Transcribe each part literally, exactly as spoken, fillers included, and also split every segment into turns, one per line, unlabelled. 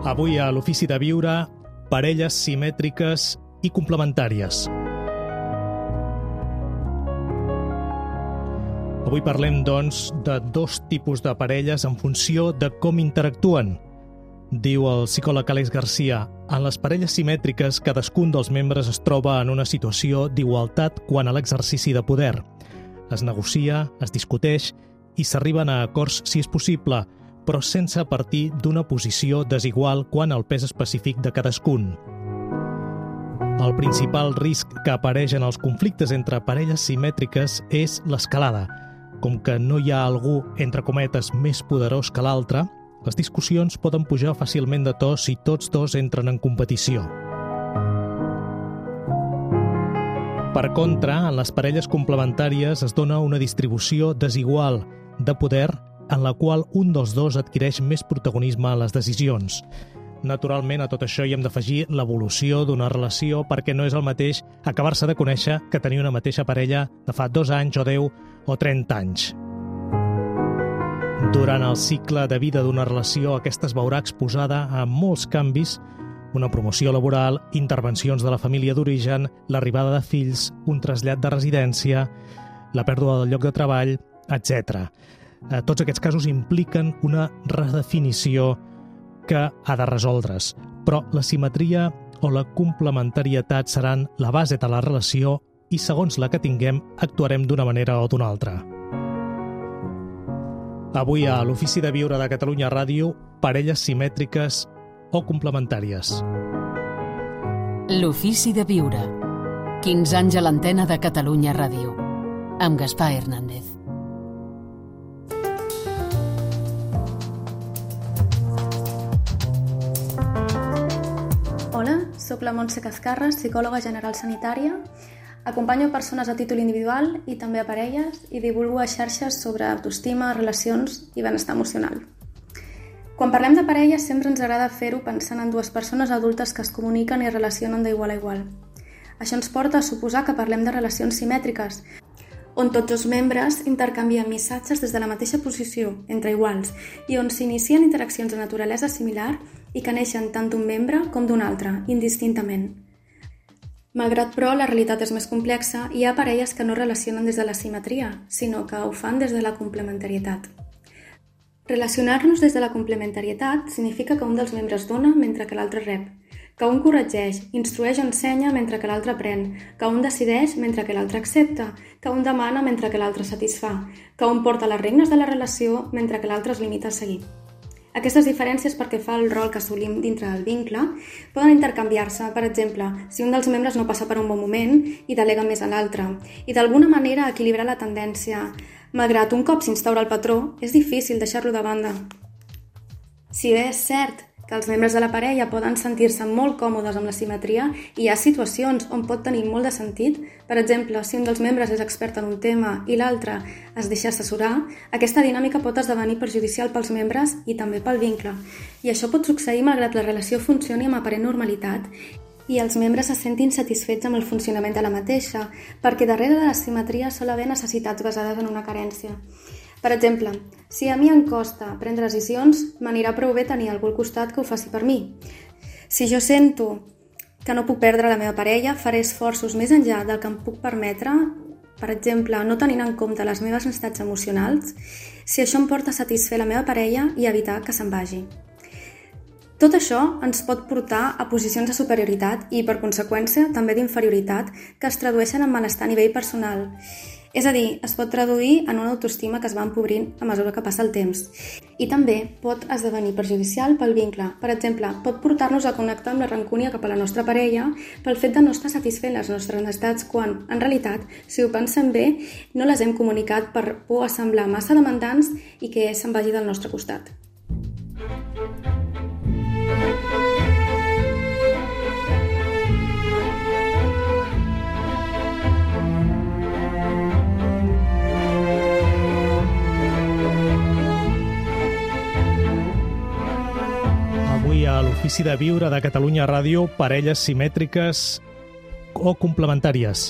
Avui a l'Ofici de Viure, parelles simètriques i complementàries. Avui parlem, doncs, de dos tipus de parelles en funció de com interactuen. Diu el psicòleg Àlex Garcia, en les parelles simètriques cadascun dels membres es troba en una situació d'igualtat quant a l'exercici de poder. Es negocia, es discuteix i s'arriben a acords si és possible, però sense partir d'una posició desigual quant al pes específic de cadascun. El principal risc que apareix en els conflictes entre parelles simètriques és l'escalada. Com que no hi ha algú, entre cometes, més poderós que l'altre, les discussions poden pujar fàcilment de to si tots dos entren en competició. Per contra, en les parelles complementàries es dona una distribució desigual de poder en la qual un dels dos adquireix més protagonisme en les decisions. Naturalment, a tot això hi hem d'afegir l'evolució d'una relació perquè no és el mateix acabar-se de conèixer que tenir una mateixa parella de fa dos anys o deu o trenta anys. Durant el cicle de vida d'una relació, aquesta es veurà exposada a molts canvis, una promoció laboral, intervencions de la família d'origen, l'arribada de fills, un trasllat de residència, la pèrdua del lloc de treball, etcètera. Tots aquests casos impliquen una redefinició que ha de resoldre's, però la simetria o la complementarietat seran la base de la relació i segons la que tinguem actuarem d'una manera o d'una altra. Avui a l'Ofici de Viure de Catalunya Ràdio, parelles simètriques o complementàries.
L'Ofici de Viure. quinze anys a l'antena de Catalunya Ràdio. Amb Gaspar Hernández.
Hola, soc la Montse Cascarres, psicòloga general sanitària. Acompanyo persones a títol individual i també a parelles i divulgo a xarxes sobre autoestima, relacions i benestar emocional. Quan parlem de parelles sempre ens agrada fer-ho pensant en dues persones adultes que es comuniquen i relacionen d'igual a igual. Això ens porta a suposar que parlem de relacions simètriques, on tots els membres intercanvien missatges des de la mateixa posició, entre iguals, i on s'inicien interaccions de naturalesa similar i que neixen tant d'un membre com d'un altre, indistintament. Malgrat, però, la realitat és més complexa, hi ha parelles que no relacionen des de la simetria, sinó que ho fan des de la complementarietat. Relacionar-nos des de la complementarietat significa que un dels membres dona mentre que l'altre rep, que un corregeix, instrueix o ensenya mentre que l'altre aprèn, que un decideix mentre que l'altre accepta, que un demana mentre que l'altre satisfà, que un porta les regnes de la relació mentre que l'altre es limita a seguir. Aquestes diferències pel que fa al rol que assolim dintre del vincle poden intercanviar-se, per exemple, si un dels membres no passa per un bon moment i delega més a l'altre, i d'alguna manera equilibrar la tendència. Malgrat un cop s'instaura el patró, és difícil deixar-lo de banda. Si bé és cert que els membres de la parella poden sentir-se molt còmodes amb la simetria i hi ha situacions on pot tenir molt de sentit, per exemple, si un dels membres és expert en un tema i l'altre es deixa assessorar, aquesta dinàmica pot esdevenir perjudicial pels membres i també pel vincle. I això pot succeir malgrat la relació funcioni amb aparent normalitat i els membres se sentin satisfets amb el funcionament de la mateixa, perquè darrere de la simetria sol haver necessitats basades en una carència. Per exemple, si a mi em costa prendre decisions, m'anirà prou bé tenir algú al costat que ho faci per mi. Si jo sento que no puc perdre la meva parella, faré esforços més enllà del que em puc permetre, per exemple, no tenint en compte les meves necessitats emocionals, si això em porta a satisfer la meva parella i evitar que se'n vagi. Tot això ens pot portar a posicions de superioritat i, per conseqüència, també d'inferioritat que es tradueixen en malestar a nivell personal. És a dir, es pot traduir en una autoestima que es va empobrint a mesura que passa el temps. I també pot esdevenir perjudicial pel vincle. Per exemple, pot portar-nos a connectar amb la rancúnia cap a la nostra parella pel fet de no estar satisfent les nostres necessitats quan, en realitat, si ho pensem bé, no les hem comunicat per por a semblar massa demandants i que se'n vagi del nostre costat.
A l'Ofici de Viure de Catalunya Ràdio, parelles simètriques o complementàries,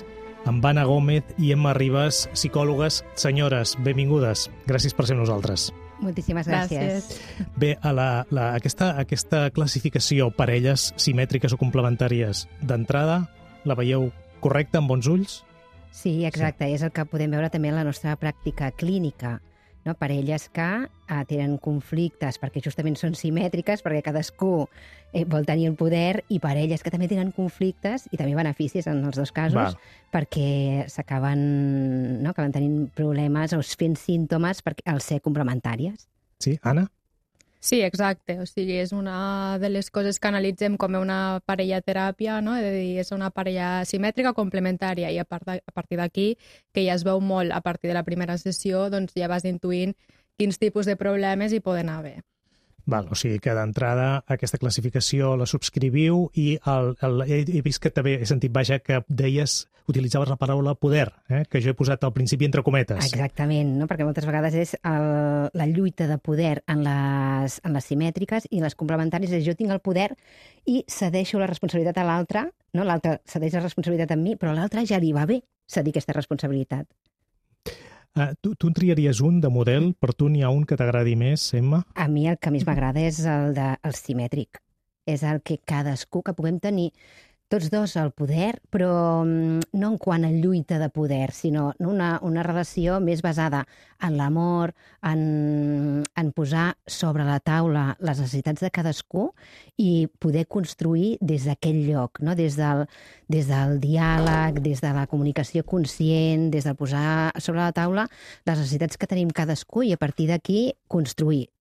amb Anna Gómez i Emma Ribas, psicòlogues. Senyores, benvingudes. Gràcies per ser amb nosaltres.
Moltíssimes gràcies.
Gràcies.
Bé, a la, la, aquesta, aquesta classificació parelles simètriques o complementàries d'entrada, la veieu correcta, amb bons ulls?
Sí, exacte. Sí. És el que podem veure també en la nostra pràctica clínica. No? Parelles que eh, tenen conflictes perquè justament són simètriques, perquè cadascú eh, vol tenir el poder, i parelles que també tenen conflictes i també beneficis en els dos casos,
Val.
perquè s'acaben no? acaben tenint problemes o fent símptomes perquè, al ser complementàries.
Sí, Anna?
Sí, exacte. O sigui, és una de les coses que analitzem com una parella teràpia, no? És a dir, és una parella simètrica complementària, i a, part de, a partir d'aquí, que ja es veu molt a partir de la primera sessió, doncs ja vas intuint quins tipus de problemes hi poden haver.
Val, o sigui que d'entrada aquesta classificació la subscriviu, i el, el, he, he vist que també he sentit, vaja, que deies, utilitzaves la paraula poder, eh? que jo he posat al principi entre cometes.
Exactament, no? Perquè moltes vegades és el, la lluita de poder en les, en les simètriques, i les complementàries és jo tinc el poder i cedeixo la responsabilitat a l'altre, no? L'altre cedeix la responsabilitat a mi, però a l'altre ja li va bé cedir aquesta responsabilitat.
Uh, tu, tu en triaries un de model? Per tu n'hi ha un que t'agradi més, Emma?
A mi el que més m'agrada és el, de, el simètric. És el que cadascú, que puguem tenir tots dos el poder, però no en quant a lluita de poder, sinó una, una relació més basada en l'amor, en, en posar sobre la taula les necessitats de cadascú i poder construir des d'aquell lloc, no? des, del, des del diàleg, des de la comunicació conscient, des de posar sobre la taula les necessitats que tenim cadascú i a partir d'aquí construir.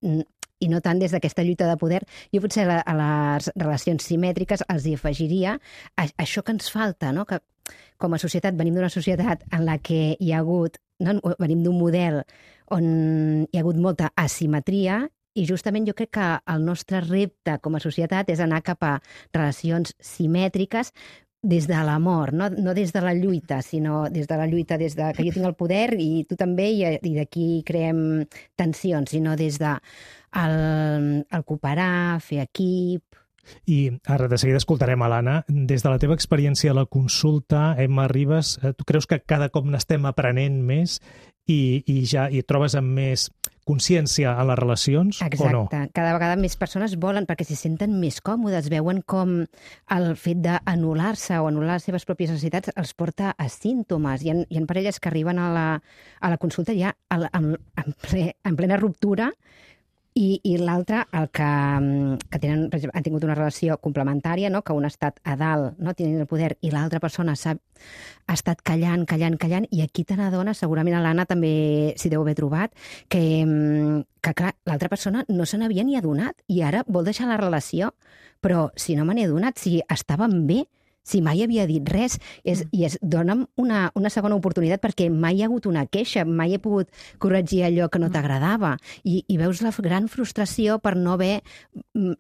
I no tant des d'aquesta lluita de poder. Jo potser a les relacions simètriques els hi afegiria això que ens falta, no? Que com a societat venim d'una societat en la que hi ha hagut, no? venim d'un model on hi ha hagut molta asimetria, i justament jo crec que el nostre repte com a societat és anar cap a relacions simètriques des de l'amor, no, no des de la lluita, sinó des de la lluita, des de que jo tinc el poder i tu també, i, i d'aquí creem tensions, sinó des de el, el cooperar, fer equip.
I ara de seguida escoltarem a l'Anna. Des de la teva experiència a la consulta, Emma Ribas, tu creus que cada cop n'estem aprenent més i, i ja i et trobes amb més consciència en les relacions?
Exacte.
O no?
Cada vegada més persones volen, perquè s'hi senten més còmodes, veuen com el fet d'anul·lar-se o anul·lar les seves pròpies necessitats els porta a símptomes. Hi ha, hi ha parelles que arriben a la, a la consulta ja en, en, ple, en plena ruptura, i, i l'altre, el que, que tenen, per exemple, han tingut una relació complementària, no? Que un ha estat a dalt, no? Tenint el poder, i l'altra persona s'ha ha estat callant, callant, callant, i aquí te n'adones, segurament a l'Anna també s'hi deu haver trobat, que, que clar, l'altra persona no se n'havia ni adonat, i ara vol deixar la relació, però si no me n'he adonat, si estàvem bé, si mai havia dit res, és, i es dona'm una, una segona oportunitat, perquè mai hi ha hagut una queixa, mai he pogut corregir allò que no t'agradava, i, i veus la gran frustració per no haver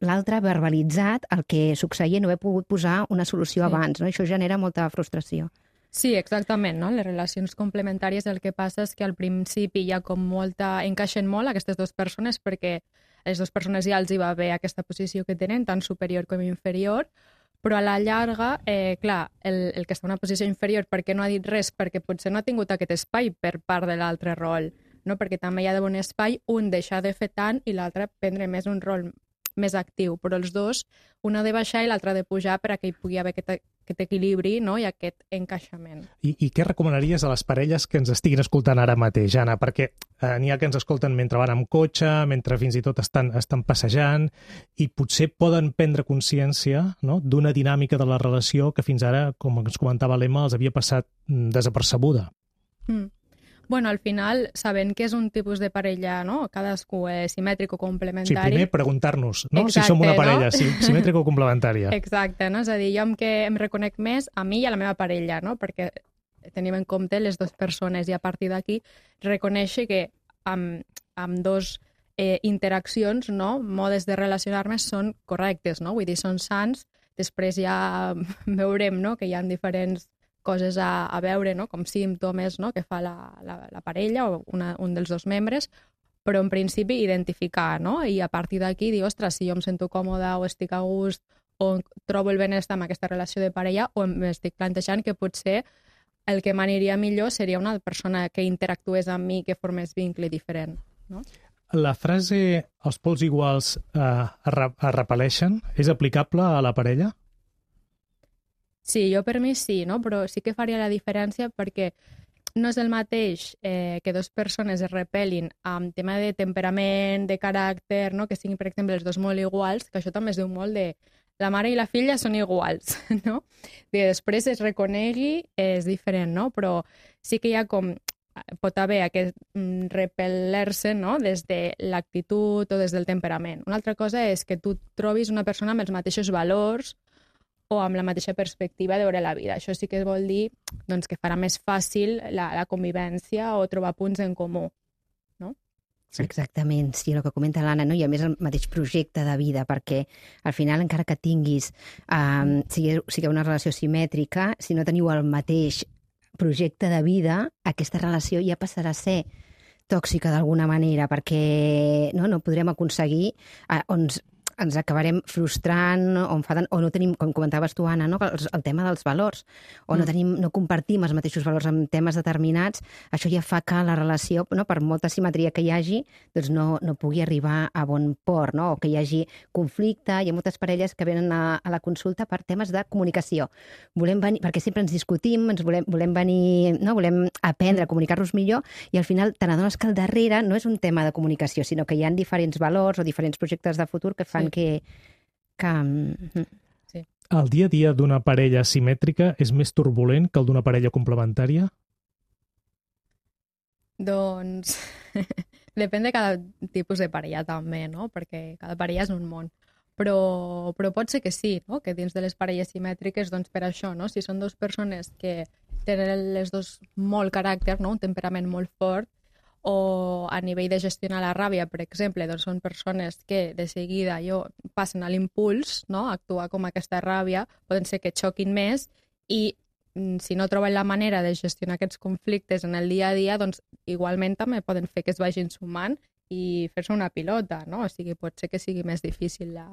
l'altre verbalitzat el que succeïa, no haver pogut posar una solució abans, no? Això genera molta frustració.
Sí, exactament, no? Les relacions complementàries el que passa és que al principi hi ha com molta... encaixen molt aquestes dues persones, perquè a les dues persones ja els hi va bé aquesta posició que tenen, tant superior com inferior, però a la llarga, eh, clar, el, el que està en una posició inferior perquè no ha dit res, perquè potser no ha tingut aquest espai per part de l'altre rol, no? Perquè també hi ha d'haver un espai, un deixar de fer tant i l'altre prendre més un rol més actiu, però els dos, un ha de baixar i l'altre ha de pujar per a que hi pugui haver aquest, aquest equilibri, no? I aquest encaixament.
I, I què recomanaries a les parelles que ens estiguin escoltant ara mateix, Anna? Perquè eh, n'hi ha que ens escolten mentre van amb cotxe, mentre fins i tot estan, estan passejant, i potser poden prendre consciència, no?, d'una dinàmica de la relació que fins ara, com ens comentava l'Emma, els havia passat desapercebuda.
Mm. Bueno, al final, sabent que és un tipus de parella, no? Cadascú és simètric o complementari...
Sí, primer preguntar-nos, no?
Exacte,
si som una parella
no?
simètrica o complementària.
Exacte, no? És a dir, jo em, que em reconec més a mi i a la meva parella, no? Perquè tenim en compte les dues persones, i a partir d'aquí reconèixer que amb, amb dos eh, interaccions, no? Modes de relacionar-me són correctes, no? Vull dir, són sants. Després ja veurem, no?, que hi ha diferents coses a, a veure, no?, com símptomes, no?, que fa la, la, la parella o una, un dels dos membres, però en principi identificar, no?, i a partir d'aquí dir, ostres, si jo em sento còmoda o estic a gust o trobo el benestar amb aquesta relació de parella, o m'estic plantejant que potser el que m'aniria millor seria una persona que interactués amb mi, que formés vincle diferent, no?
la frase els pols iguals eh, es repel·leixen és aplicable a la parella?
Sí, jo per mi sí, no? Però sí que faria la diferència perquè no és el mateix eh, que dues persones es repel·lin amb tema de temperament, de caràcter, no? Que siguin, per exemple, els dos molt iguals, que això també es diu molt de la mare i la filla són iguals, no? I després es reconegui, és diferent, no? Però sí que hi ha com... pot haver aquest repel·ler-se, no? Des de l'actitud o des del temperament. Una altra cosa és que tu trobis una persona amb els mateixos valors o amb la mateixa perspectiva de veure la vida. Això sí que vol dir doncs, que farà més fàcil la, la convivència o trobar punts en comú. No?
Sí. Exactament, sí, el que comenta l'Anna, no? I a més el mateix projecte de vida, perquè al final, encara que tinguis, um, sigui, sigui una relació simètrica, si no teniu el mateix projecte de vida, aquesta relació ja passarà a ser tòxica d'alguna manera, perquè no, no podrem aconseguir eh, ons ens acabarem frustrant o enfadant, o no tenim, com comentaves tu, Anna, no? el, el tema dels valors, o no, tenim, no compartim els mateixos valors en temes determinats, això ja fa que la relació, no? Per molta simetria que hi hagi, doncs no, no pugui arribar a bon port, no? O que hi hagi conflicte. Hi ha moltes parelles que venen a, a la consulta per temes de comunicació. Volem venir, perquè sempre ens discutim, ens volem, volem venir, no? Volem aprendre a comunicar-nos millor, i al final te n'adones que al darrere no és un tema de comunicació, sinó que hi ha diferents valors o diferents projectes de futur que fan Que, que...
Sí.
El dia a dia d'una parella simètrica és més turbulent que el d'una parella complementària?
Doncs depèn de cada tipus de parella també, no? Perquè cada parella és un món. Però, però pot ser que sí, no? Que dins de les parelles simètriques, doncs per això, no? Si són dues persones que tenen les dos molt caràcter, no? Un temperament molt fort, o a nivell de gestionar la ràbia, per exemple, doncs són persones que de seguida jo, passen a l'impuls, no? Actuar com aquesta ràbia, poden ser que xoquin més i si no troben la manera de gestionar aquests conflictes en el dia a dia, doncs igualment també poden fer que es vagin sumant i fer-se una pilota, no? O sigui, pot ser que sigui més difícil la,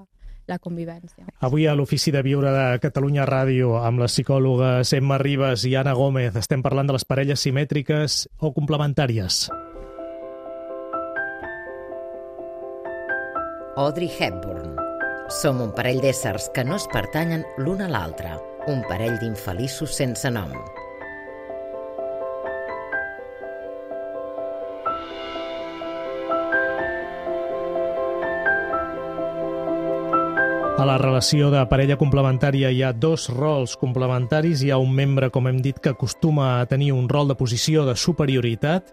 la convivència.
Avui a l'Ofici de Viure de Catalunya Ràdio, amb les psicòlogues Emma Ribas i Anna Gómez, estem parlant de les parelles simètriques o complementàries.
Audrey Hepburn. Som un parell d'éssers que no es pertanyen l'un a l'altre, un parell d'infeliços sense nom.
A la relació de parella complementària hi ha dos rols complementaris. Hi ha un membre, com hem dit, que acostuma a tenir un rol de posició de superioritat.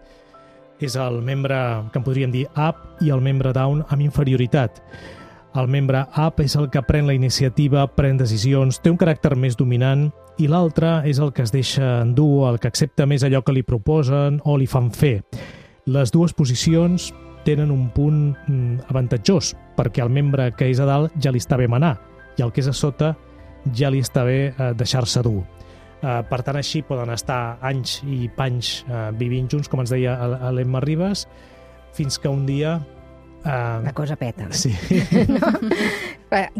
És el membre que en podríem dir up i el membre down amb inferioritat. El membre up és el que pren la iniciativa, pren decisions, té un caràcter més dominant, i l'altre és el que es deixa endur, el que accepta més allò que li proposen o li fan fer. Les dues posicions tenen un punt avantatjós, perquè el membre que és a dalt ja li està bé manar, i el que és a sota ja li està bé deixar-se dur. Uh, per tant, així poden estar anys i panys uh, vivint junts, com ens deia l'Emma Ribas, fins que un dia... Uh...
La cosa peta.
Sí.
No?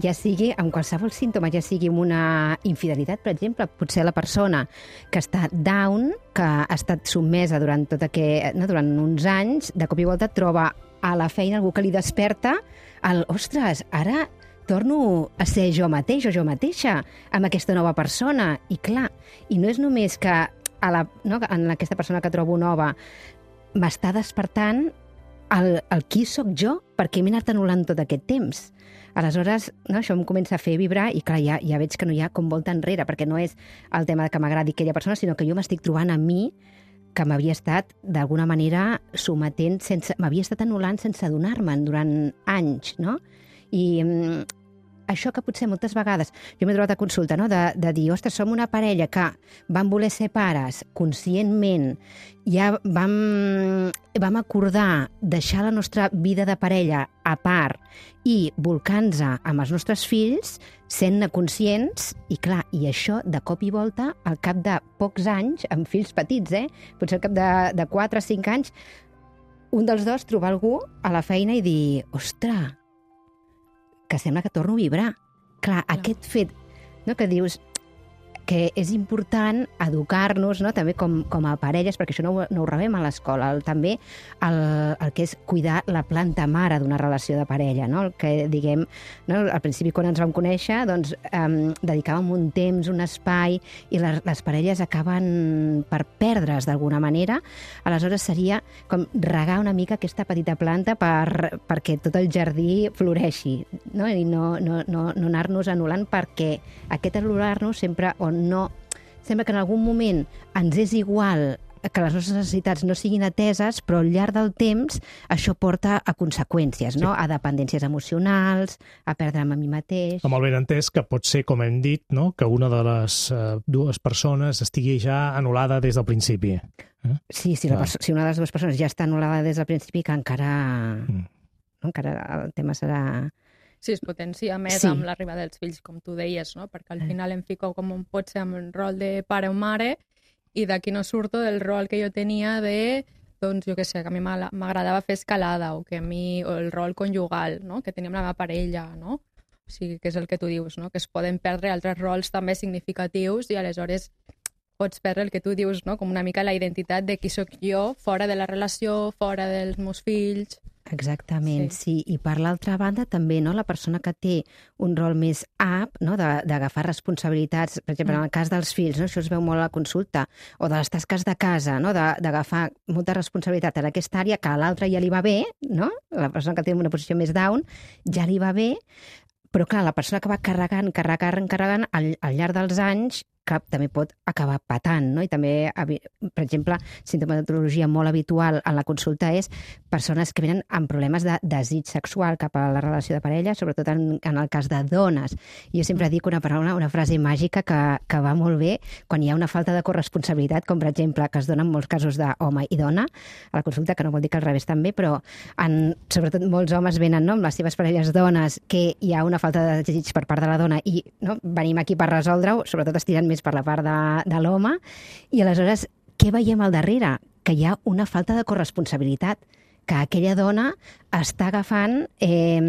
Ja sigui amb qualsevol símptoma, ja sigui amb una infidelitat, per exemple, potser la persona que està down, que ha estat sotmesa durant, tot aquest, no, durant uns anys, de cop i volta troba a la feina algú que li desperta el, ostres, ara torno a ser jo mateix o jo mateixa amb aquesta nova persona. I clar, i no és només que a la, no, en aquesta persona que trobo nova m'està despertant el, el qui sóc jo, perquè m'he anat anul·lant tot aquest temps. Aleshores, no, això em comença a fer vibrar i clar, ja, ja veig que no hi ha com volta enrere, perquè no és el tema de que m'agradi aquella persona, sinó que jo m'estic trobant a mi que m'havia estat, d'alguna manera, sometent, sense, m'havia estat anul·lant sense adonar-me'n durant anys, no? I mm, això que potser moltes vegades jo m'he trobat a consulta, no? de, de dir, ostres, som una parella que vam voler ser pares conscientment, ja vam, vam acordar deixar la nostra vida de parella a part i volcar-nos amb els nostres fills, sent-ne conscients, i clar, i això de cop i volta, al cap de pocs anys, amb fills petits, eh? Potser al cap de, de quatre o cinc anys, un dels dos trobar algú a la feina i dir, ostres, que sembla que torno a vibrar. Clar, no. Aquest fet, no, que dius, que és important educar-nos, no? També com, com a parelles, perquè això no ho, no ho rebem a l'escola, el, també el, el que és cuidar la planta mare d'una relació de parella, no? El que, diguem, no? Al principi quan ens vam conèixer, doncs, um, dedicàvem un temps, un espai, i les, les parelles acaben per perdre's d'alguna manera. Aleshores seria com regar una mica aquesta petita planta per, perquè tot el jardí floreixi, no? I no, no, no, no anar-nos anul·lant, perquè aquest anul·lar-nos sempre o no... Sembla que en algun moment ens és igual que les nostres necessitats no siguin ateses, però al llarg del temps això porta a conseqüències, no? Sí. A dependències emocionals, a perdre'm a mi mateix... Amb
el benentès que pot ser, com hem dit, no? Que una de les uh, dues persones estigui ja anul·lada des del principi. Eh?
Sí, si, la si una de les dues persones ja està anul·lada des del principi, que encara... Mm. No? Encara el tema serà...
Sí, es potencia més sí. Amb l'arribada dels fills, com tu deies, no? Perquè al final em fico com un pot ser amb el rol de pare o mare i d'aquí no surto del rol que jo tenia de, doncs, jo què sé, que a mi m'agradava fer escalada o que a mi, o el rol conjugal, no? Que teníem la meva parella, no? O sigui, que és el que tu dius, no? Que es poden perdre altres rols també significatius i aleshores pots perdre el que tu dius, no? Com una mica la identitat de qui sóc jo fora de la relació, fora dels meus fills...
Exactament, sí. sí. I per l'altra banda també, no? La persona que té un rol més up, no? D'agafar responsabilitats, per exemple, en el cas dels fills, no? Això es veu molt a la consulta, o de les tasques de casa, no? D'agafar molta responsabilitat en aquesta àrea que a l'altra ja li va bé, no? La persona que té una posició més down ja li va bé, però clar, la persona que va carregant, carregant, carregant, al, al llarg dels anys, que també pot acabar patant, no? I també, per exemple, sintomatologia molt habitual en la consulta és persones que venen amb problemes de desig sexual cap a la relació de parella, sobretot en, en el cas de dones. Jo sempre dic una paraula, una frase màgica que, que va molt bé quan hi ha una falta de corresponsabilitat, com per exemple, que es dona en molts casos d'home i dona a la consulta, que no vol dir que al revés també, però en, sobretot molts homes venen, no? Amb les seves parelles dones, que hi ha una falta de desig per part de la dona i, no? Venim aquí per resoldre-ho, sobretot estirant més per la part de, de l'home, i aleshores què veiem al darrere? Que hi ha una falta de corresponsabilitat, que aquella dona està agafant eh,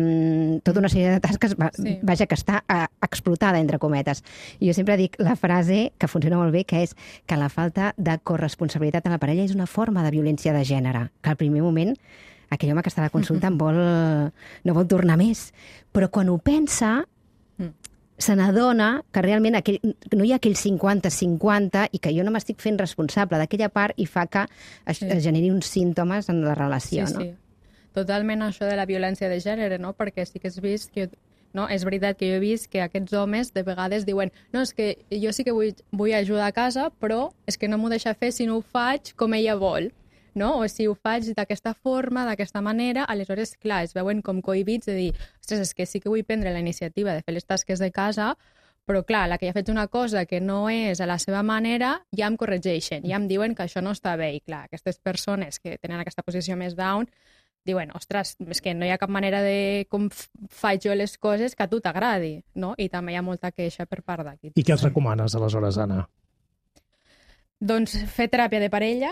tota una sèrie de tasques, va, sí. vaja, que està eh, explotada, entre cometes. I jo sempre dic la frase que funciona molt bé, que és que la falta de corresponsabilitat en la parella és una forma de violència de gènere, que al primer moment aquell home que està a la consulta en vol, no vol tornar més. Però quan ho pensa, se n'adona que realment aquell, no hi ha aquell cinquanta cinquanta i que jo no m'estic fent responsable d'aquella part i fa que es, sí. es generi uns símptomes en la relació, sí, no?
Sí. Totalment això de la violència de gènere, no? Perquè sí que has vist que... No? És veritat que jo he vist que aquests homes de vegades diuen no, és que jo sí que vull, vull ajudar a casa, però és que no m'ho deixa fer si no ho faig com ella vol. No? O si ho faig d'aquesta forma, d'aquesta manera, aleshores, clar, es veuen com cohibits de dir, ostres, és que sí que vull prendre la iniciativa de fer les tasques de casa, però clar, la que ja ha fet una cosa que no és a la seva manera, ja em corregeixen, ja em diuen que això no està bé. I clar, aquestes persones que tenen aquesta posició més down diuen, ostres, és que no hi ha cap manera de com faig jo les coses que a tu t'agradi, no? I també hi ha molta queixa per part d'aquí.
I què els recomanes, aleshores, Anna?
Doncs fer teràpia de parella,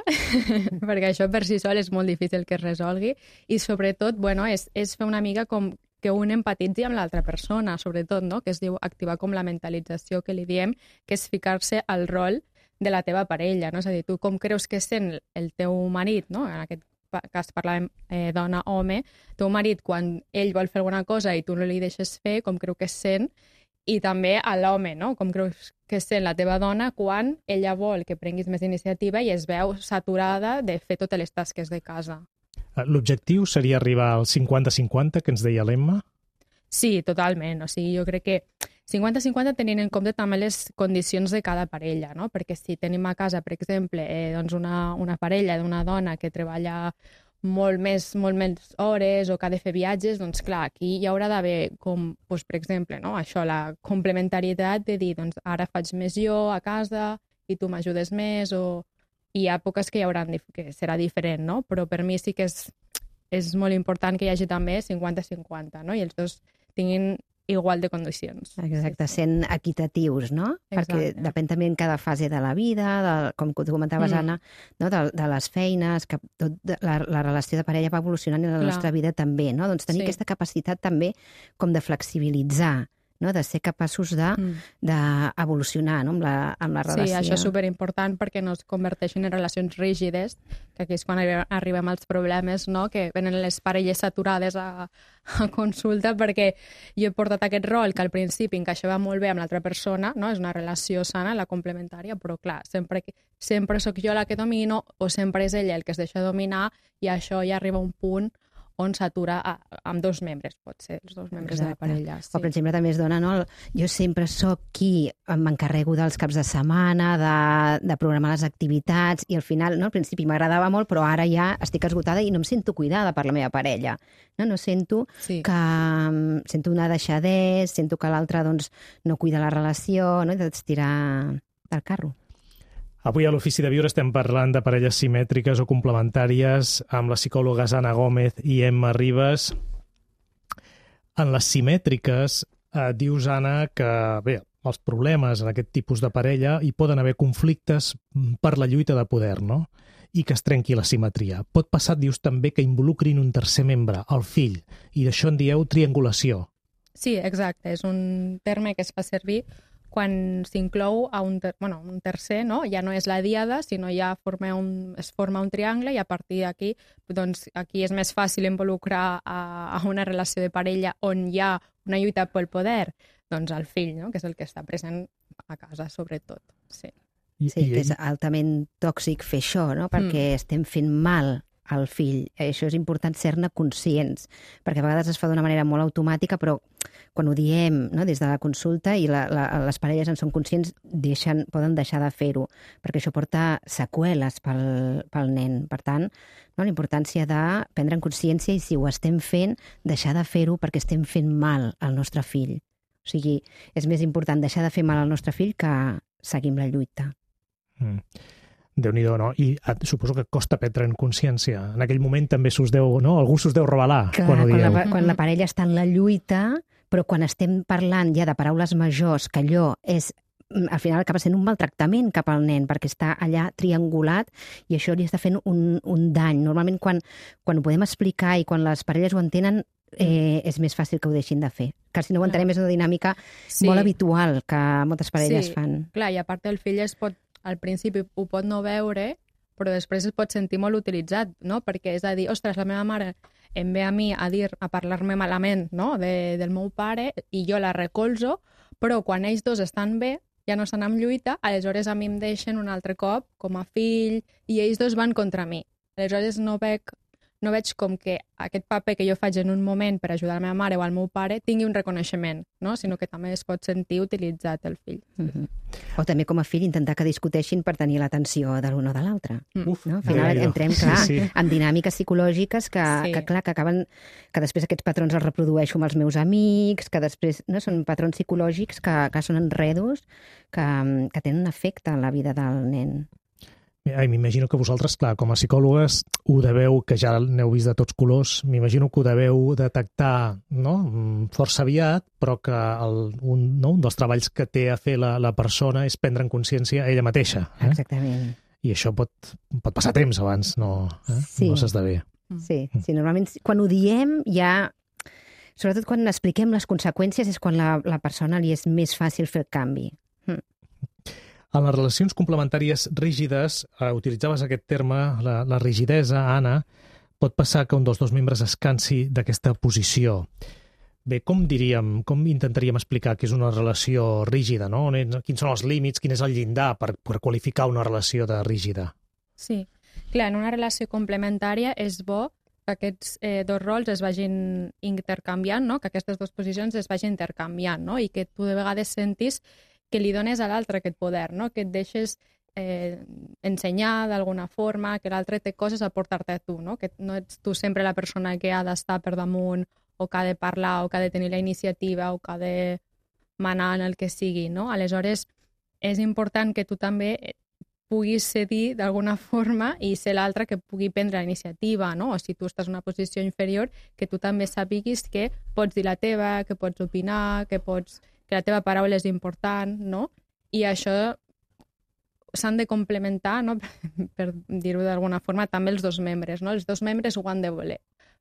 perquè això per si sol és molt difícil que es resolgui, i sobretot, bueno, és, és fer una mica com que un empatitzi amb l'altra persona, sobretot, no? Que es diu activar com la mentalització que li diem, que és ficar-se al rol de la teva parella, no? És a dir, tu com creus que sent el teu marit, no? En aquest cas parlàvem eh, dona-home, teu marit quan ell vol fer alguna cosa i tu no li deixes fer, com creu que es sent, i també a l'home, no? Com creus que sent la teva dona quan ella vol que prenguis més iniciativa i es veu saturada de fer totes les tasques de casa.
L'objectiu seria arribar al cinquanta cinquanta, que ens deia l'Emma?
Sí, totalment. O sigui, jo crec que cinquanta cinquanta tenint en compte també les condicions de cada parella, no? Perquè si tenim a casa, per exemple, eh, doncs una, una parella d'una dona que treballa molt més, molt més hores o que ha de fer viatges, doncs clar, aquí hi haurà d'haver com, doncs, per exemple, no? Això, la complementarietat de dir, doncs ara faig més jo a casa i tu m'ajudes més, o hi ha èpoques que hi haurà, que serà diferent, no? Però per mi sí que és, és molt important que hi hagi també cinquanta cinquanta, no? I els dos tinguin igual de condicions.
Exacte, sent equitatius, no? Exacte. Perquè depèn també en cada fase de la vida, de, com tu comentaves, mm. Anna, no? de, de les feines, que tot de, la, la relació de parella va evolucionant i la Clar. nostra vida també, no? Doncs tenir sí. aquesta capacitat també com de flexibilitzar no? De ser capaços d'evolucionar, no? amb, la, amb la relació.
Sí, això és superimportant perquè no es converteixin en relacions rígides, que aquí és quan arribem als problemes, no? Que venen les parelles saturades a, a consulta, perquè jo he portat aquest rol que al principi encaixava molt bé amb l'altra persona, no? És una relació sana, la complementària, però clar, sempre, sempre sóc jo la que domino o sempre és ella el que es deixa dominar i això ja arriba a un punt on s'atura amb dos membres, pot ser els dos membres Exacte. De la parella. Sí.
O, per exemple, també es dona, no? Jo sempre sóc qui m'encarrego dels caps de setmana, de, de programar les activitats, i al final, no? Al principi m'agradava molt, però ara ja estic esgotada i no em sento cuidada per la meva parella. No, no sento sí. que... Sento una deixadesa, sento que l'altre doncs, no cuida la relació, no? I d'estirar del carro.
Avui a l'Ofici de Viure estem parlant de parelles simètriques o complementàries amb les psicòlogues Anna Gómez i Emma Ribas. En les simètriques, eh, dius, Anna, que bé, els problemes en aquest tipus de parella hi poden haver conflictes per la lluita de poder, no? I que es trenqui la simetria. Pot passar, dius, també que involucrin un tercer membre, el fill, i d'això en dieu triangulació.
Sí, exacte. És un terme que es fa servir quan s'inclou a un, ter bueno, un tercer, no? Ja no és la diada, sinó ja forma un, es forma un triangle i a partir d'aquí doncs, aquí és més fàcil involucrar a, a una relació de parella on hi ha una lluita pel poder, doncs el fill, no? Que és el que està present a casa, sobretot. Sí,
I, sí que és altament tòxic fer això, no? Perquè mm. estem fent mal al fill. Això és important ser-ne conscients, perquè a vegades es fa d'una manera molt automàtica, però quan ho diem, no, des de la consulta i la, la, les parelles en són conscients, deixen, poden deixar de fer-ho, perquè això porta seqüeles pel, pel nen. Per tant, no, la importància de prendre en consciència i si ho estem fent, deixar de fer-ho perquè estem fent mal al nostre fill. O sigui, és més important deixar de fer mal al nostre fill que seguir amb la lluita.
Mm. Déu-n'hi-do, no? I suposo que costa prendre en consciència. En aquell moment també s'us deu, no? Algú s'us deu revelar
Clar,
quan ho dieu.
Quan la, quan la parella està en la lluita, però quan estem parlant ja de paraules majors, que allò és, al final acaba sent un maltractament cap al nen, perquè està allà triangulat i això li està fent un, un dany. Normalment quan, quan ho podem explicar i quan les parelles ho entenen, eh, és més fàcil que ho deixin de fer. Que si no ho entenem és una dinàmica sí. molt habitual que moltes parelles
sí.
fan.
Clar, i a part el fill es pot al principi ho pot no veure, però després es pot sentir molt utilitzat, no? Perquè és a dir, ostres, la meva mare em ve a mi a dir, a parlar-me malament, no? de, del meu pare, i jo la recolzo, però quan ells dos estan bé, ja no estan en lluita, aleshores a mi em deixen un altre cop com a fill, i ells dos van contra mi. Aleshores no veig, no veig com que aquest paper que jo faig en un moment per ajudar la meva mare o al meu pare tingui un reconeixement, no? Sinó que també es pot sentir utilitzat el fill.
Mm-hmm. O també com a fill intentar que discuteixin per tenir l'atenció de l'un o de l'altre.
Mm.
No? Al final entrem, clar, sí, sí. en dinàmiques psicològiques que,
sí.
que, clar, que acaben... que després aquests patrons els reprodueixo amb els meus amics, que després no, són patrons psicològics que, que són enredos que, que tenen un efecte en la vida del nen.
M'imagino que vosaltres, clar, com a psicòlogues, ho deveu, que ja n'heu vist de tots colors, m'imagino que ho deveu detectar, no?, força aviat, però que el, un, no, un dels treballs que té a fer la, la persona és prendre en consciència ella mateixa. Eh?
Exactament.
I això pot, pot passar temps abans, no, eh?
sí.
no s'esdevé.
Sí, sí, normalment quan ho diem ja... Sobretot quan expliquem les conseqüències és quan la, la persona li és més fàcil fer el canvi. Hm.
En les relacions complementàries rígides, eh, utilitzaves aquest terme, la, la rigidesa, Anna, pot passar que un dels dos membres es cansi d'aquesta posició. Bé, com diríem, com intentaríem explicar que és una relació rígida, no? Quins són els límits, quin és el llindar per, per qualificar una relació de rígida?
Sí, clar, en una relació complementària és bo que aquests eh, dos rols es vagin intercanviant, no? Que aquestes dues posicions es vagin intercanviant, no? I que tu de vegades sentis que li dones a l'altre aquest poder, no? Que et deixes eh, ensenyar d'alguna forma, que l'altre té coses a portar-te a tu, no? Que no ets tu sempre la persona que ha d'estar per damunt o que ha de parlar o que ha de tenir la iniciativa o que ha de manar en el que sigui, no? Aleshores, és important que tu també puguis cedir d'alguna forma i ser l'altre que pugui prendre la iniciativa, no? O si tu estàs en una posició inferior, que tu també sàpiguis que pots dir la teva, que pots opinar, que pots... que la teva paraula és important, no? I això s'han de complementar, no? per, per dir-ho d'alguna forma, també els dos membres, no? Els dos membres ho han de voler.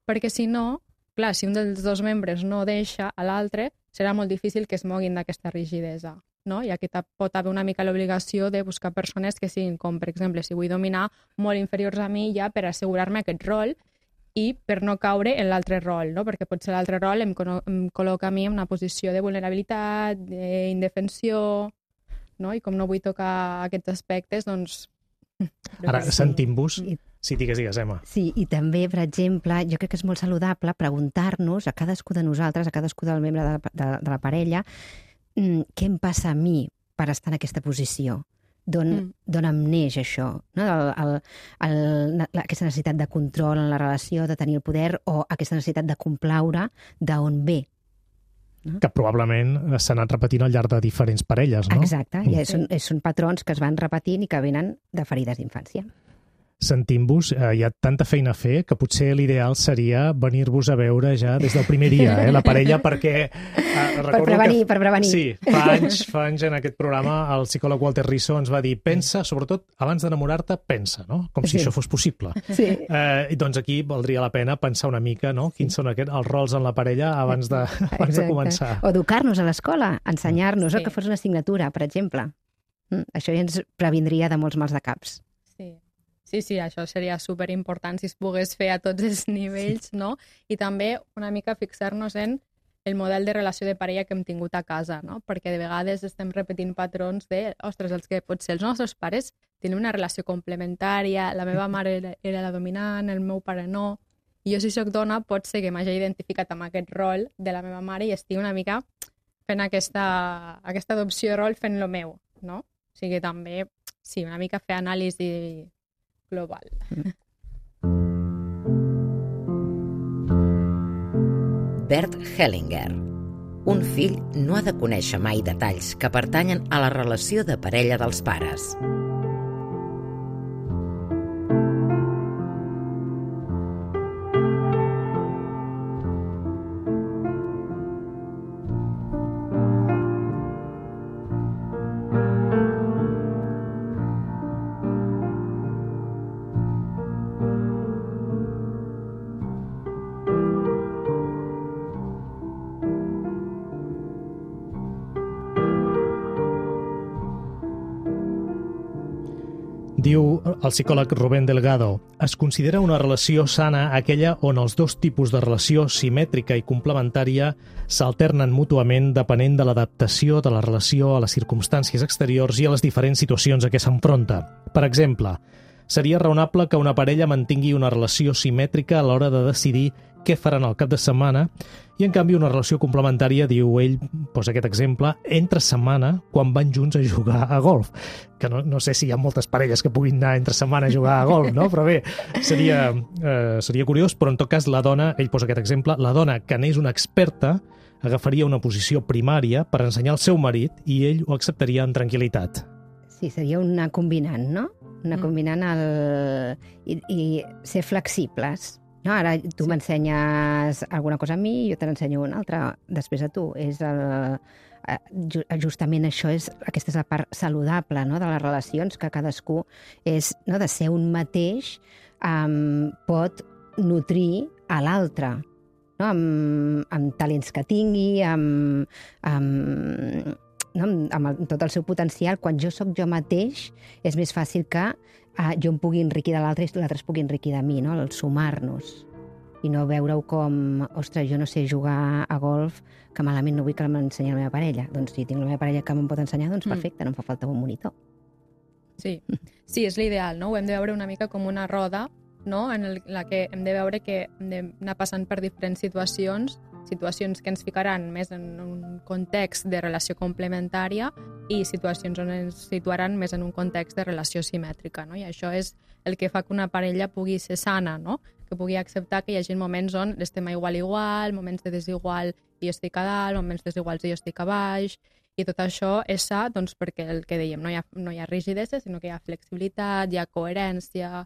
Perquè si no, clar, si un dels dos membres no deixa a l'altre, serà molt difícil que es moguin d'aquesta rigidesa, no? I aquí pot haver una mica l'obligació de buscar persones que siguin com, per exemple, si vull dominar, molt inferiors a mi ja per assegurar-me aquest rol i per no caure en l'altre rol, no? Perquè potser l'altre rol em, em col·loca a mi en una posició de vulnerabilitat, d'indefensió, no? I com no vull tocar aquests aspectes, doncs...
Ara, sentim-vos... Sí, digues, digues, Emma.
Sí, i també, per exemple, jo crec que és molt saludable preguntar-nos a cadascú de nosaltres, a cadascú del membre de, de, de la parella, què em passa a mi per estar en aquesta posició? D'on mm. em neix això? No? El, el, el, aquesta necessitat de control en la relació, de tenir el poder, o aquesta necessitat de complaure, d'on ve? No?
Que probablement s'ha anat repetint al llarg de diferents parelles, no?
Exacte, mm. i són, són patrons que es van repetint i que venen de ferides d'infància.
Sentim-vos, eh, hi ha tanta feina a fer que potser l'ideal seria venir-vos a veure ja des del primer dia, eh, la parella, perquè... Eh,
per prevenir,
que,
per prevenir.
Sí, fa anys, fa anys en aquest programa el psicòleg Walter Risso ens va dir pensa, sobretot abans d'enamorar-te, pensa, no? Com si sí. això fos possible.
Sí.
Eh, I doncs aquí valdria la pena pensar una mica, no? Quins sí. són aquest, els rols en la parella abans de, abans de començar.
O educar-nos a l'escola, ensenyar-nos,
sí.
o que fos una assignatura, per exemple. Mm, això ja ens previndria de molts mals de caps.
Sí. Sí, sí, això seria superimportant si es pogués fer a tots els nivells, no? I també una mica fixar-nos en el model de relació de parella que hem tingut a casa, no? Perquè de vegades estem repetint patrons de, ostres, els que potser els nostres pares tenen una relació complementària, la meva mare era la dominant, el meu pare no, i jo si soc dona pot ser que m'hagi identificat amb aquest rol de la meva mare i estigui una mica fent aquesta, aquesta adopció de rol fent lo meu, no? O sigui, també, sí, una mica fer anàlisi global.
Bert Hellinger. Un fill no ha de conèixer mai detalls que pertanyen a la relació de parella dels pares.
Diu el psicòleg Rubén Delgado, es considera una relació sana aquella on els dos tipus de relació simètrica i complementària s'alternen mútuament depenent de l'adaptació de la relació a les circumstàncies exteriors i a les diferents situacions a què s'enfronta. Per exemple, seria raonable que una parella mantingui una relació simètrica a l'hora de decidir què faran al cap de setmana i, en canvi, una relació complementària, diu ell, posa aquest exemple, entre setmana quan van junts a jugar a golf. Que no, no sé si hi ha moltes parelles que puguin anar entre setmana a jugar a golf, no? Però bé, seria, eh, seria curiós, però en tot cas la dona, ell posa aquest exemple, la dona que n'és una experta agafaria una posició primària per ensenyar al seu marit i ell ho acceptaria amb tranquil·litat.
Sí, seria una combinant, no? Una mm. combinant el... I, i ser flexibles. No, ara tu sí. m'ensenyes alguna cosa a mi i jo te n'ensenyo una altra després a tu. És el, justament això és, aquesta és la part saludable, no?, de les relacions, que cadascú és, no?, de ser un mateix, um, pot nutrir a l'altre, no?, amb, amb talents que tingui, amb, amb, no?, amb tot el seu potencial. Quan jo sóc jo mateix, és més fàcil que uh, jo em pugui enriquir de l'altre i l'altre es pugui enriquir de mi, no?, el sumar-nos. I no veure-ho com, ostres, jo no sé jugar a golf, que malament no vull que m'ensenyi la meva parella. Doncs si tinc la meva parella que me'n pot ensenyar, doncs perfecte, no em fa falta un monitor.
Sí, sí, és l'ideal, no? Ho hem de veure una mica com una roda, no?, en el, la que hem de veure que hem d'anar passant per diferents situacions, situacions que ens ficaran més en un context de relació complementària i situacions on ens situaran més en un context de relació simètrica, no? I això és el que fa que una parella pugui ser sana, no?, que pugui acceptar que hi hagi moments on estem a igual igual, moments de desigual i jo estic a dalt, moments desiguals i jo estic a baix, i tot això és sa, doncs, perquè el que dèiem, no hi ha, no hi ha rigidesa, sinó que hi ha flexibilitat, hi ha coherència,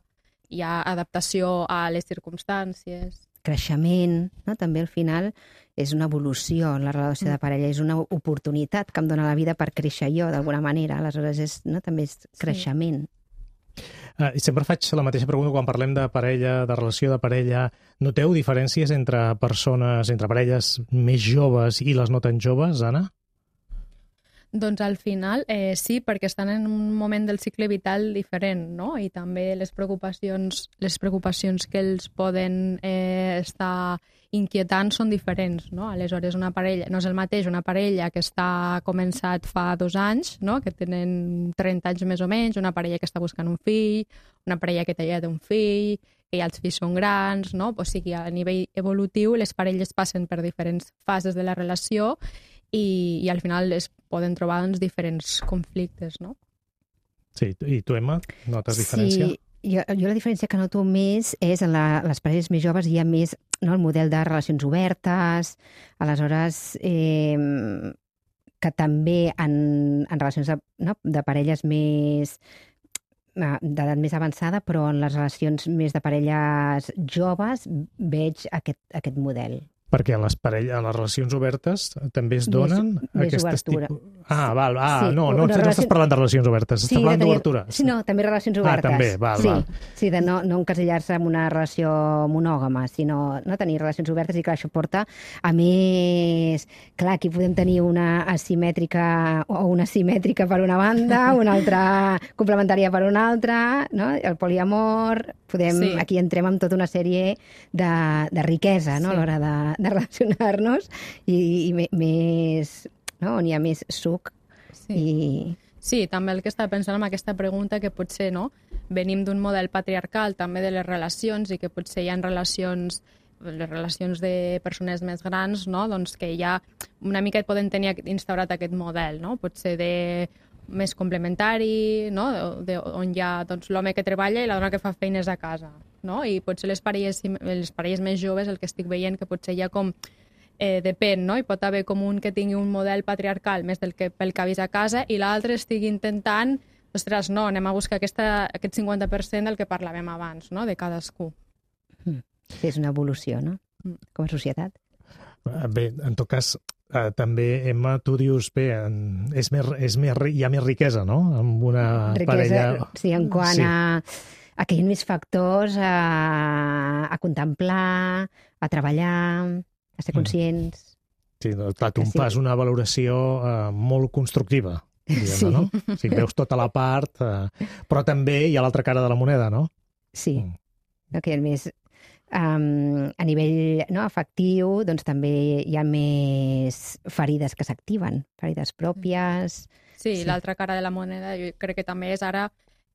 hi ha adaptació a les circumstàncies.
Creixement, no? També al final és una evolució, la relació de parella és una oportunitat que em dona la vida per créixer jo d'alguna manera, aleshores és, no? També és creixement.
Sí.
Uh, I sempre faig la mateixa pregunta quan parlem de parella, de relació de parella. Noteu diferències entre persones, entre parelles més joves i les no tan joves, Anna?
Doncs al final eh, sí, perquè estan en un moment del cicle vital diferent, no? I també les preocupacions, les preocupacions que els poden eh, estar inquietant són diferents, no? Aleshores, una parella, no és el mateix una parella que està començat fa dos anys, no? Que tenen trenta anys més o menys, una parella que està buscant un fill, una parella que ja té un fill, que ja els fills són grans, no? O sigui, a nivell evolutiu les parelles passen per diferents fases de la relació i, i al final es poden trobar doncs, diferents conflictes, no?
Sí, i tu, Emma, notes diferència?
Sí, jo, jo la diferència que noto més és en la, les parelles més joves hi ha més, no, el model de relacions obertes, aleshores eh, que també en, en relacions de, no, de parelles més d'edat més avançada, però en les relacions més de parelles joves veig aquest, aquest model.
Perquè en les, parelles, en les relacions obertes també es donen
més,
aquestes
més
tipus... Ah, val, ah,
sí,
no, no, no relació... estàs parlant de relacions obertes, estàs
sí,
parlant
tenir...
d'obertura.
Sí, no, també relacions obertes.
Ah, també, val,
sí,
val.
Sí, de no, no encasillar-se en una relació monògama, sinó no tenir relacions obertes i clar, això porta a més... Clar, aquí podem tenir una asimètrica o una simètrica per una banda, una altra complementària per una altra, no? El poliamor... Podem, sí. Aquí entrem amb tota una sèrie de, de riquesa, no? Sí. A l'hora de, de relacionar-nos i, i més, no? On hi ha més suc.
Sí.
I...
sí, també el que estava pensant amb aquesta pregunta, que potser no, venim d'un model patriarcal també de les relacions i que potser hi ha relacions les relacions de persones més grans, no? Doncs que ja una mica poden tenir instaurat aquest model, no? Potser de més complementari, no? De, on hi ha doncs, l'home que treballa i la dona que fa feines a casa, no? I potser les parelles, les parelles més joves, el que estic veient, que potser hi ha com eh, depèn, no? Hi pot haver com un que tingui un model patriarcal més del que pel que ha vist a casa i l'altre estigui intentant, ostres, no, anem a buscar aquesta, aquest cinquanta per cent del que parlàvem abans, no? De cadascú.
Sí, és una evolució, no? Com a societat.
Bé, en tot cas, eh, també, Emma, tu dius, bé, en, és més, és més, hi ha més riquesa, no?, amb una
riquesa,
parella...
Sí, en quant sí. a, a que hi ha més factors a, a contemplar, a treballar, a ser conscients...
Sí, clar, tu em
sí.
fas una valoració eh, molt constructiva, diguem-ne,
sí.
no? O sigui, veus tota la part, eh, però també hi ha l'altra cara de la moneda, no?
Sí, mm. que hi ha més... Um, a nivell no, afectiu, doncs també hi ha més ferides que s'activen, ferides pròpies...
Sí, sí. L'altra cara de la moneda jo crec que també és ara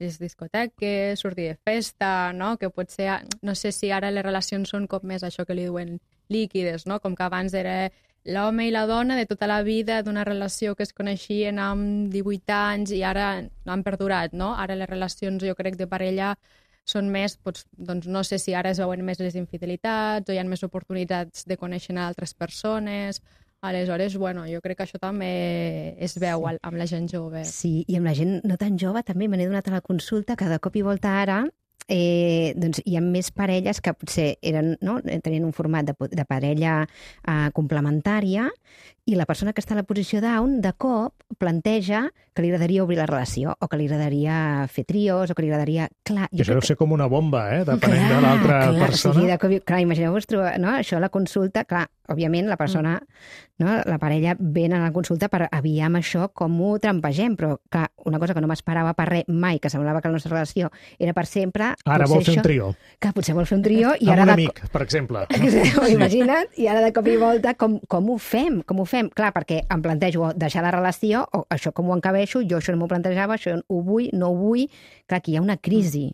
les discoteques, sortir de festa, no? Que potser, no sé si ara les relacions són com més això que li diuen líquides, no? Com que abans era l'home i la dona de tota la vida d'una relació que es coneixien amb divuit anys i ara no han perdurat, no? Ara les relacions, jo crec, de parella són més, doncs, doncs no sé si ara es veuen més les infidelitats o hi ha més oportunitats de conèixer altres persones. Aleshores, bueno, jo crec que això també es veu sí. amb la gent jove.
Sí, i amb la gent no tan jove també me n'he donat a la consulta que de cop i volta ara eh, doncs hi ha més parelles que potser eren, no, tenien un format de, de parella eh, complementària i la persona que està a la posició down de cop planteja que li agradaria obrir la relació o que li agradaria fer trios o que li agradaria... Clar,
jo això deu que... ser com una bomba, eh? Depenent clar, de l'altra persona.
O sigui, de cop, clar, imagineu-vos, no? Això, la consulta, clar, òbviament la persona, mm. no? La parella ven a la consulta per aviam això com ho trampegem, però clar, una cosa que no m'esperava per res mai, que semblava que la nostra relació era per sempre...
Ara vol fer
això,
un trio.
Que potser vol fer un trio i
amb
ara...
un
de...
amic, per exemple.
No? Imagina't, i ara de cop i volta com, com ho fem? Com ho fem? Clar, perquè em plantejo deixar la relació, o això com ho encabeixo, jo això no m'ho plantejava, això ho vull, no ho vull... Clar, aquí hi ha una crisi,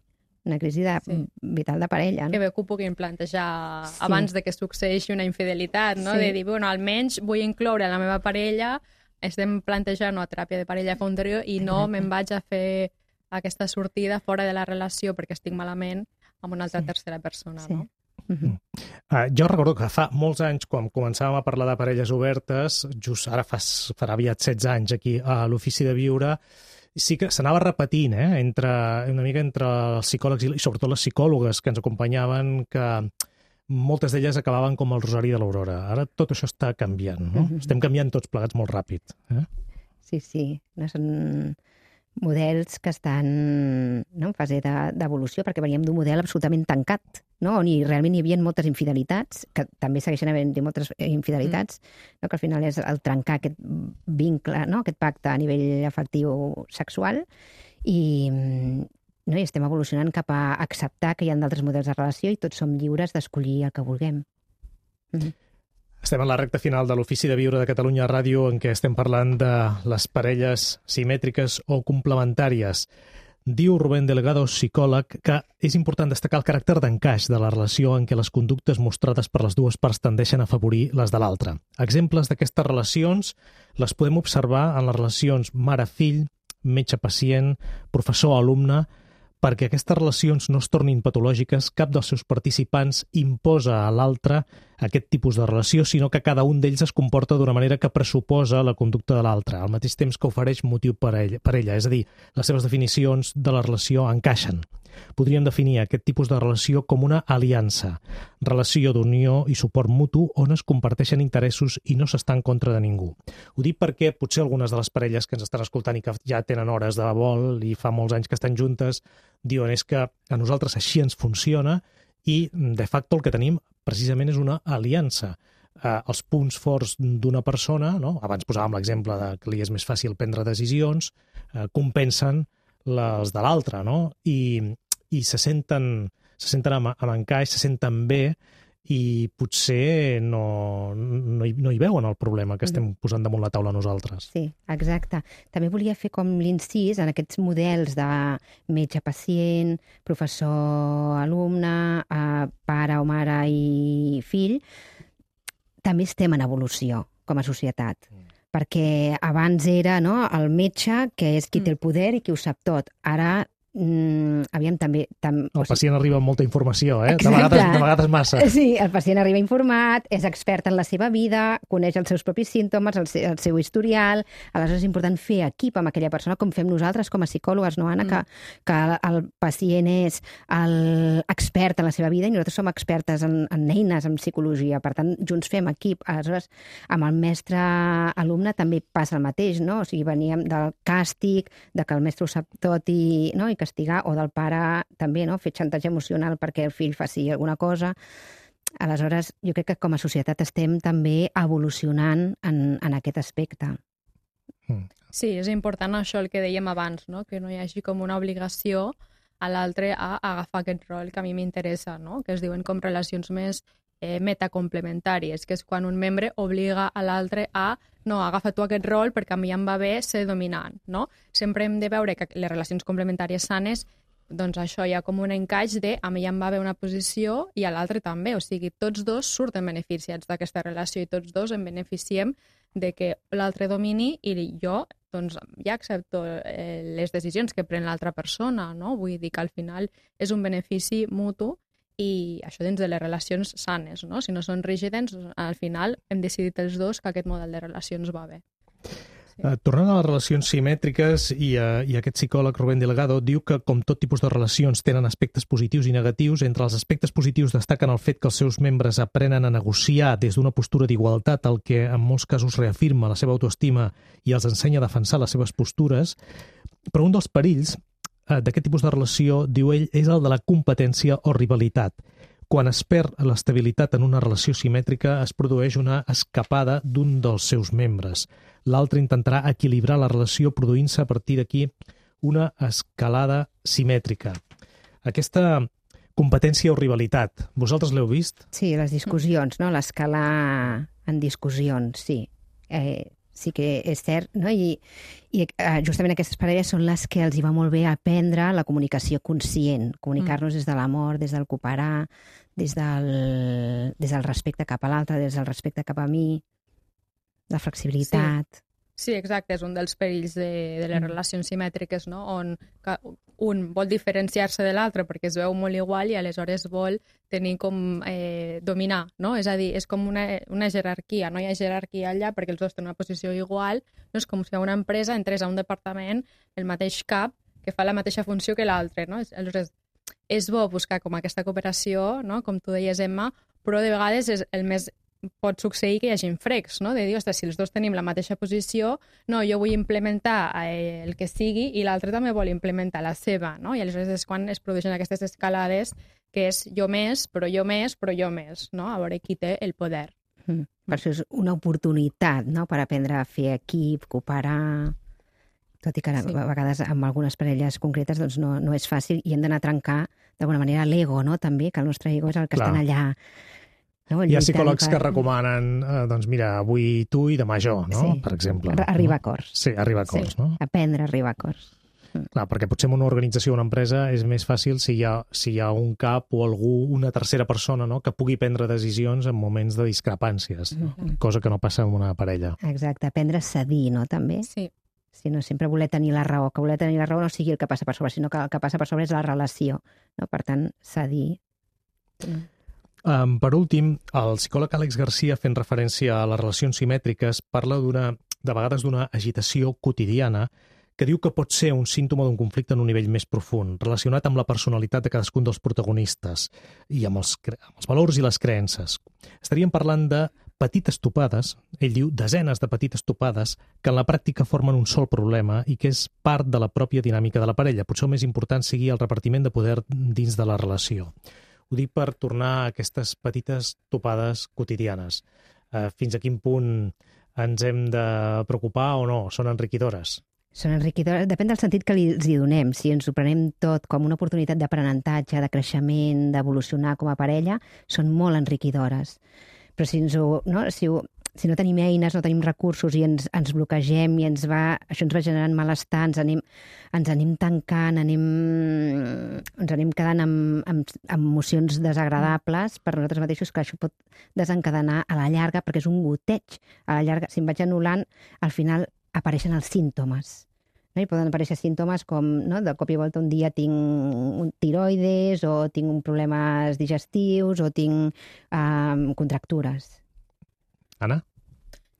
una crisi de, sí. vital de parella. No?
Que bé que ho puguin plantejar sí. abans de que succeeixi una infidelitat, no? Sí. De dir, bueno, almenys vull incloure la meva parella, estem plantejant una teràpia de parella fa un trio i no me'n vaig a fer aquesta sortida fora de la relació perquè estic malament amb una altra sí. tercera persona, sí. no?
Uh-huh. Uh, jo recordo que fa molts anys, quan començàvem a parlar de parelles obertes, just ara fa, farà aviat setze anys aquí a l'Ofici de Viure, sí que s'anava repetint, eh, entre, una mica entre els psicòlegs i, i sobretot les psicòlogues que ens acompanyaven, que moltes d'elles acabaven com el Rosari de l'Aurora. Ara tot això està canviant, no? Uh-huh. Estem canviant tots plegats molt ràpid. Eh?
Sí, sí. No són... models que estan no, en fase d'evolució, perquè veníem d'un model absolutament tancat, no? On hi, realment hi havia moltes infidelitats, que també segueixen havent-hi moltes infidelitats, mm. no? Que al final és el trencar aquest vincle, no? Aquest pacte a nivell afectiu sexual, i, no? I estem evolucionant cap a acceptar que hi ha d'altres models de relació i tots som lliures d'escollir el que vulguem. Mm-hmm.
Estem en la recta final de l'Ofici de Viure de Catalunya Ràdio, en què estem parlant de les parelles simètriques o complementàries. Diu Rubén Delgado, psicòleg, que és important destacar el caràcter d'encaix de la relació en què les conductes mostrades per les dues parts tendeixen a afavorir les de l'altra. Exemples d'aquestes relacions les podem observar en les relacions mare-fill, metge-pacient, professor-alumne. Perquè aquestes relacions no es tornin patològiques, cap dels seus participants imposa a l'altre aquest tipus de relació, sinó que cada un d'ells es comporta d'una manera que pressuposa la conducta de l'altre, al mateix temps que ofereix motiu per a ella, per a ella. És a dir, les seves definicions de la relació encaixen. Podríem definir aquest tipus de relació com una aliança, relació d'unió i suport mutu on es comparteixen interessos i no s'està en contra de ningú. Ho dic perquè potser algunes de les parelles que ens estan escoltant i que ja tenen hores de vol i fa molts anys que estan juntes, diuen és que a nosaltres així ens funciona i de facto el que tenim precisament és una aliança. Eh, els punts forts d'una persona, no? Abans posàvem l'exemple de que li és més fàcil prendre decisions, eh, compensen les de l'altre, no? I, i se senten, se senten amb, amb encaix, se senten bé i potser no, no, hi, no hi veuen el problema que estem posant damunt la taula nosaltres.
Sí, exacte. També volia fer com l'incís en aquests models de metge-pacient, professor-alumne, eh, pare o mare i fill. També estem en evolució com a societat. Mm. Perquè abans era no, el metge, que és qui té el poder i qui ho sap tot. Ara, mm, aviam, també... Tam,
el pacient arriba amb molta informació, eh? De vegades, de vegades massa.
Sí, el pacient arriba informat, és expert en la seva vida, coneix els seus propis símptomes, el, seu, el seu historial. Aleshores és important fer equip amb aquella persona, com fem nosaltres com a psicòlogues, no, Anna? Mm. Que, que el pacient és l'expert en la seva vida i nosaltres som expertes en, en eines, en psicologia. Per tant, junts fem equip. Aleshores, amb el mestre-alumne també passa el mateix, no? O sigui, veníem del càstig, de que el mestre ho sap tot i, no? I castigar, o del pare també, no? Fer xantatge emocional perquè el fill faci alguna cosa. Aleshores, jo crec que com a societat estem també evolucionant en, en aquest aspecte.
Sí, és important això el que dèiem abans, no? Que no hi hagi com una obligació a l'altre a agafar aquest rol que a mi m'interessa, no? Que es diuen com relacions més eh, metacomplementàries, que és quan un membre obliga a l'altre a no, agafa tu aquest rol perquè a mi em va bé ser dominant, no? Sempre hem de veure que les relacions complementàries sanes, doncs això hi ha com un encaix de a mi em va bé una posició i a l'altre també, o sigui, tots dos surten beneficiats d'aquesta relació i tots dos en beneficiem de que l'altre domini i jo doncs ja accepto eh, les decisions que pren l'altra persona, no? Vull dir que al final és un benefici mutu i això dins de les relacions sanes, no? Si no són rígides, al final hem decidit els dos que aquest model de relacions va bé. Sí.
Uh, tornant a les relacions simètriques, i, uh, i aquest psicòleg Rubén Delgado diu que com tot tipus de relacions tenen aspectes positius i negatius, entre els aspectes positius destaquen el fet que els seus membres aprenen a negociar des d'una postura d'igualtat, el que en molts casos reafirma la seva autoestima i els ensenya a defensar les seves postures, però un dels perills d'aquest tipus de relació, diu ell, és el de la competència o rivalitat. Quan es perd l'estabilitat en una relació simètrica, es produeix una escapada d'un dels seus membres. L'altre intentarà equilibrar la relació produint-se a partir d'aquí una escalada simètrica. Aquesta competència o rivalitat, vosaltres l'heu vist?
Sí, les discussions, no? L'escala en discussions, sí. Eh, sí que és cert, no? I, i justament aquestes parelles són les que els hi va molt bé aprendre la comunicació conscient, comunicar-nos des de l'amor, des del cooperar, des del, des del respecte cap a l'altre, des del respecte cap a mi, la flexibilitat...
Sí. Sí, exacte, és un dels perills de, de les relacions simètriques, no? On un vol diferenciar-se de l'altre perquè es veu molt igual i aleshores vol tenir com eh, dominar, no? És a dir, és com una, una jerarquia, no hi ha jerarquia allà perquè els dos tenen una posició igual, no? És com si a una empresa entrés a un departament el mateix cap que fa la mateixa funció que l'altre, no? Aleshores, és bo buscar com aquesta cooperació, no? Com tu deies, Emma, però de vegades és el més pot succeir que hi hagi frecs, no? De dir, ostres, si els dos tenim la mateixa posició, no, jo vull implementar eh, el que sigui i l'altre també vol implementar la seva, no? I aleshores és quan es produeixen aquestes escalades que és jo més, però jo més, però jo més, no? A veure qui té el poder.
Mm. Per això és una oportunitat, no?, per aprendre a fer equip, cooperar... Tot i que sí. A vegades amb algunes parelles concretes doncs no, no és fàcil i hem d'anar a trencar d'alguna manera l'ego, no?, també, que el nostre ego és el que
Clar.
estan allà. No?
Hi ha psicòlegs per... que recomanen, eh, doncs mira, avui tu i demà jo, no?,
sí.
per exemple.
Arribar
no?
a acords.
Sí, arribar a acords, sí. no?
Aprendre a arribar a acords.
Clar, perquè potser en una organització o una empresa és més fàcil si hi ha, si hi ha un cap o algú, una tercera persona, no?, que pugui prendre decisions en moments de discrepàncies, no? Mm-hmm. Cosa que no passa en una parella.
Exacte, aprendre a cedir, no?, també?
Sí.
Si no sempre voler tenir la raó, que voler tenir la raó no sigui el que passa per sobre, sinó que el que passa per sobre és la relació, no? Per tant, cedir.
Um, per últim, el psicòleg Àlex Garcia, fent referència a les relacions simètriques, parla d'una, de vegades d'una agitació quotidiana que diu que pot ser un símptoma d'un conflicte en un nivell més profund, relacionat amb la personalitat de cadascun dels protagonistes i amb els, amb els valors i les creences. Estaríem parlant de petites topades, ell diu desenes de petites topades, que en la pràctica formen un sol problema i que és part de la pròpia dinàmica de la parella. Potser el més important sigui el repartiment de poder dins de la relació. Ho dic per tornar a aquestes petites topades quotidianes. Eh, fins a quin punt ens hem de preocupar o no? Són enriquidores?
Són enriquidores, depèn del sentit que els hi donem. Si ens ho prenem tot com una oportunitat d'aprenentatge, de creixement, d'evolucionar com a parella, són molt enriquidores. Però si, ens ho, no? Si, ho, si no tenim eines, no tenim recursos i ens, ens bloquegem i ens va, això ens va generant malestar, ens anem, ens anem tancant, anem, ens anem quedant amb, amb, amb emocions desagradables per nosaltres mateixos, que això pot desencadenar a la llarga, perquè és un goteig. A la llarga, si em vaig anul·lant, al final apareixen els símptomes. No? I poden aparèixer símptomes com, no? De cop i volta un dia tinc un tiroides o tinc un problemes digestius o tinc um, contractures.
Anna?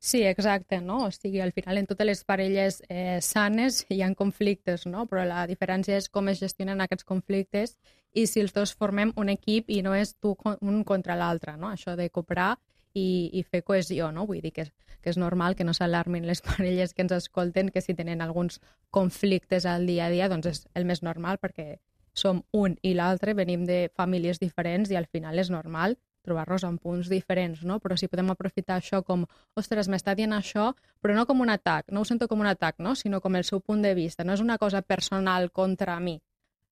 Sí, exacte, no? O sigui, al final en totes les parelles eh, sanes hi ha conflictes, no? Però la diferència és com es gestionen aquests conflictes i si els dos formem un equip i no és tu un contra l'altre, no? Això de cooperar i, i fer cohesió, no? Vull dir que, que és normal que no s'alarmin les parelles que ens escolten, que si tenen alguns conflictes al dia a dia, doncs és el més normal, perquè som un i l'altre, venim de famílies diferents i al final és normal trobar-nos en punts diferents, no? Però si podem aprofitar això com, ostres, m'està dient això, però no com un atac, no ho sento com un atac, no? Sinó com el seu punt de vista, no és una cosa personal contra mi,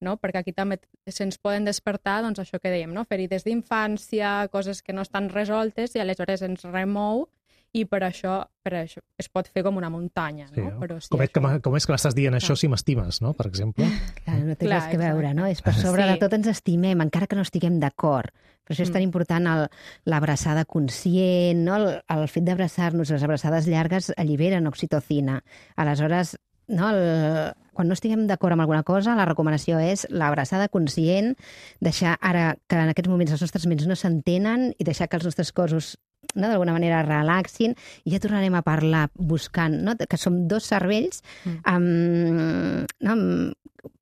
no? Perquè aquí també se'ns poden despertar, doncs això que dèiem, no? Ferides d'infància, coses que no estan resoltes i aleshores ens remou i per això, per això es pot fer com una muntanya, no?
Sí,
Però si
com, és
això...
que, com és que m'estàs dient això si m'estimes, no? Per exemple.
Clar, no té
Clar,
res que veure,
exacte.
no? És per sobre
Sí.
de tot ens estimem, encara que no estiguem d'acord. Per això és tan important el- l'abraçada conscient, no? El, el fet d'abraçar-nos, les abraçades llargues alliberen oxitocina. Aleshores, no? El, quan no estiguem d'acord amb alguna cosa, la recomanació és l'abraçada conscient, deixar ara que en aquests moments les nostres ments no s'entenen i deixar que els nostres cossos, no, d'alguna manera relaxin i ja tornarem a parlar buscant, no? Que som dos cervells um, no?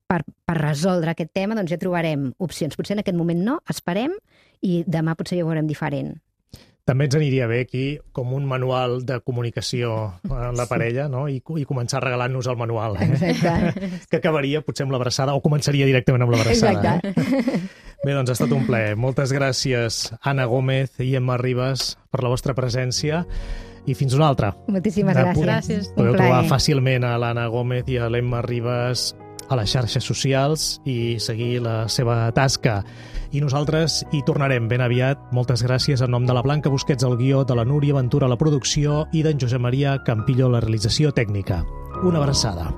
per, per resoldre aquest tema, doncs ja trobarem opcions. Potser en aquest moment no, esperem i demà potser ja ho veurem diferent.
També ens aniria bé aquí com un manual de comunicació en la parella, no? I, i començar regalant-nos el manual, eh?
Exacte.
Que acabaria potser amb l'abraçada o començaria directament amb l'abraçada.
Exacte.
Eh? Bé, doncs ha estat un plaer. Moltes gràcies, Anna Gómez i Emma Ribas, per la vostra presència i fins una altra.
Moltíssimes
De-
gràcies.
Gràcies.
Podeu
Un plaer.
trobar fàcilment a l'Anna Gómez i a l'Emma Ribas a les xarxes socials i seguir la seva tasca. I nosaltres hi tornarem ben aviat. Moltes gràcies en nom de la Blanca Busquets al guió, de la Núria Ventura a la producció i d'en Josep Maria Campillo a la realització tècnica. Una abraçada.